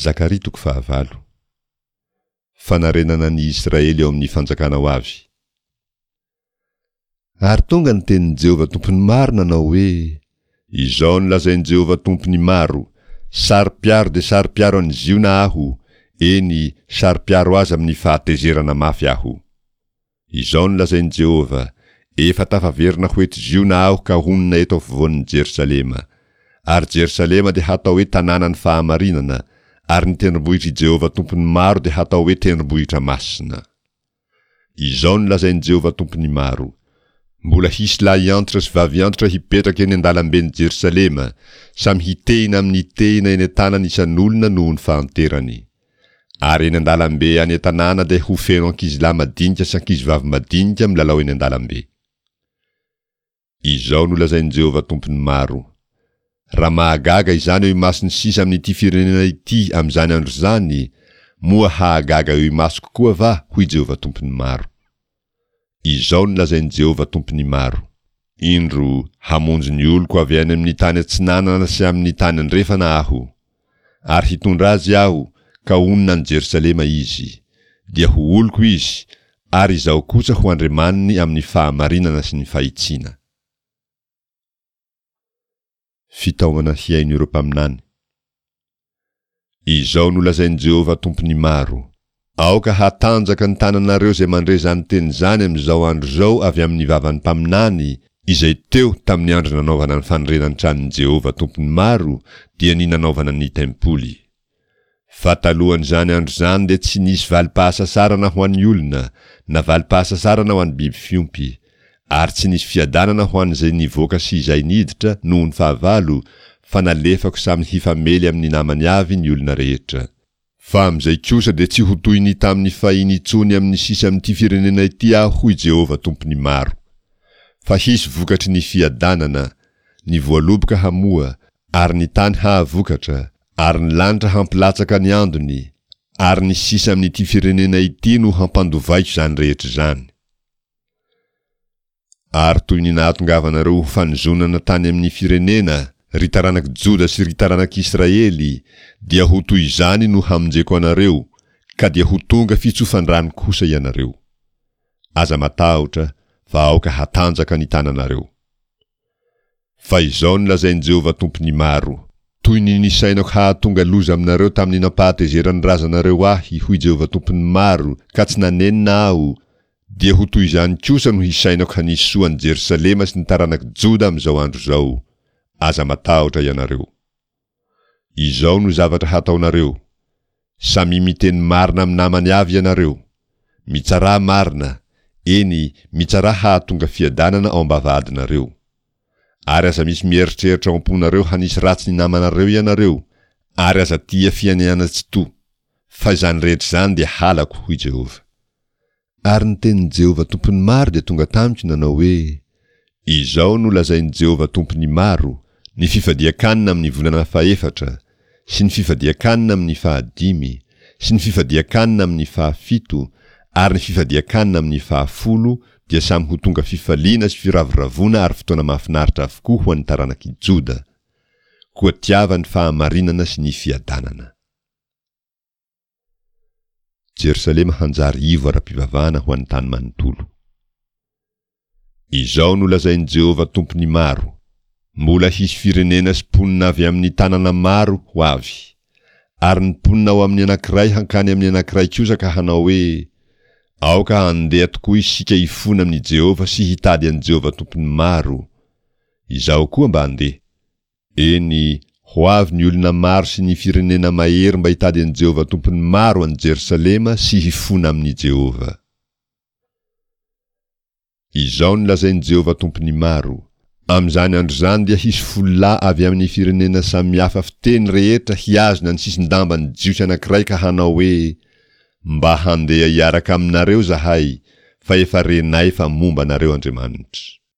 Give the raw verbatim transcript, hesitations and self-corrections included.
Zakaria toko fahavalo. Fanarenana ny Israely ao amin'ny fanjakana ho avy. Ary tonga ny tenin'i Jehovah Tompon'ny maro nanao hoe, Izao no lazain'i Jehovah Tompon'ny maro, Saro-piaro dia saro-piaro an'i Ziona aho, eny, saro-piaro azy amin'ny fahatezerana mafy aho. Izao no lazain'i Jehovah, Efa tafaverina ho eto Ziona aho ka honina eto afovoan'i Jerosalema. Ary Jerosalema dia hatao hoe tanànan'ny fahamarinana, ary ny tendrombohitr'i Jehovah Tompon'ny maro dia hatao hoe tendrombohitra masina. Izao no lazain'i Jehovah Tompon'ny maro, Mbola hisy lahy antitra sy vavy antitra hipetraka eny an-dalamben'i Jerosalema, samy hitehina amin'ny tehina eny an-tanany isan'olona noho ny fahanterany. Ary eny an-dalambe any an-tanàna dia ho feno ankizilahy madinika sy ankizivavy madinika milalao eny an-dalambe. Izao no lazain'i Jehovah Tompon'ny maro, Raha mahagaga izany eo imason'ny sisa amin'ity firenena ity amin'izany andro izany, moa hahagaga eo imasoko koa va? hoy Jehovah Tompon'ny maro. Izao no lazain'i Jehovah Tompon'ny maro, Indro, hamonjy ny oloko avy any amin'ny tany atsinanana sy amin'ny tany andrefana Aho. Ary hitondra azy Aho, ka honina any Jerosalema izy. Dia ho oloko izy, ary Izaho kosa ho Andriamaniny amin'ny fahamarinana sy ny fahitsiana. Fitaomana hihaino ireo mpaminany. Izao no lazain'i Jehovah Tompon'ny maro, Aoka hatanjaka ny tananareo izay mandre izany teny izany amin'izao andro izao avy amin'ny vavan'ny mpaminany, izay teo tamin'ny andro nanaovana ny fanorenan'ny tranon'i Jehovah Tompon'ny maro, dia ny nanaovana ny tempoly. Fa talohan'izany andro izany dia tsy nisy valim-pahasasarana ho an'ny olona, na valim-pahasasarana ho an'ny biby fiompy, ary tsy nisy fiadanana ho an'izay nivoaka sy izay niditra noho ny fahavalo, fa nalefako samy hifamely amin'ny namany avy ny olona rehetra. Fa amin'izay kosa dia tsy ho toy ny tamin'ny fahiny intsony amin'ny sisa amin'ity firenena ity Aho, hoy Jehovah Tompon'ny maro. Fa hisy vokatry ny fiadanana, ny voaloboka hamoa, ary ny tany hahavokatra, ary ny lanitra hampilatsaka ny andony, ary ny sisa amin'ity firenena ity no hampandovaiko izany rehetra izany. Ary toy ny nahatongavanareo ho fanozonana tany amin'ny firenena, ry taranak'i Joda sy ry taranak'i Israely, dia ho toy izany no hamonjeko anareo, ka dia ho tonga fitsofan-drano kosa ianareo. Aza matahotra, fa aoka hatanjaka ny tananareo. Fa izao no lazain'i Jehovah Tompon'ny maro, Toy ny nisainako hahatonga loza aminareo tamin'ny nampahatezeran'ny razanareo ahy, hoy Jehovah Tompon'ny maro, ka tsy nanenina aho, dia ho toy izany kosa no hisainako hanisy soa an'i Jerosalema sy ny taranak'i Joda amin'izao andro izao. Aza matahotra ianareo. Izao no zavatra hataonareo, Samia miteny marina amin'ny namany avy ianareo. Mitsarà marina, eny, mitsarà hahatonga fiadanana ao am-bavahadinareo. Ary aza misy mieritreritra ao am-ponareo hanisy ratsy ny namanareo ianareo, ary aza tia fianianana tsy to, fa izany rehetra izany dia halako, hoy Jehovah. Ary ny tenin'i Jehovah Tompon'ny maro dia tonga tamiko nanao hoe, Izao no lazain'i Jehovah Tompon'ny maro, Ny fifadian-kanina amin'ny volana fahefatra, sy ny fifadian-kanina amin'ny fahadimy, sy ny fifadian-kanina amin'ny fahafito, ary ny fifadian-kanina amin'ny fahafolo dia samy ho tonga fifaliana sy firavoravoana ary fotoana mahafinaritra avokoa ho an'ny taranak'i Joda. Koa tiava ny fahamarinana sy ny fiadanana. Jerosalema hanjary ivo ara-pivavahana ho an'ny tany manontolo. Izao no lazain'i Jehovah Tompon'ny maro, Mbola hisy firenena sy mponina avy amin'ny tanana maro ho avy. Ary ny mponina ao amin'ny anankiray hankany amin'ny anankiray kosa ka hanao hoe, Aoka handeha tokoa isika hifona amin'i Jehovah sy hitady an'i Jehovah Tompon'ny maro. Izaho koa mba handeha. Eny, ho avy ny olona maro sy ny firenena mahery mba hitady an'i Jehovah Tompon'ny maro any Jerosalema sy hifona amin'i Jehovah. Izao no lazain'i Jehovah Tompon'ny maro, Amin'izany andro izany dia hisy folo lahy avy amin'ny firenena samy hafa fiteny rehetra hihazona ny sisin-damban'ny Jiosy anankiray ka hanao hoe, Mba handeha hiaraka aminareo izahay, fa efa renay fa momba anareo Andriamanitra.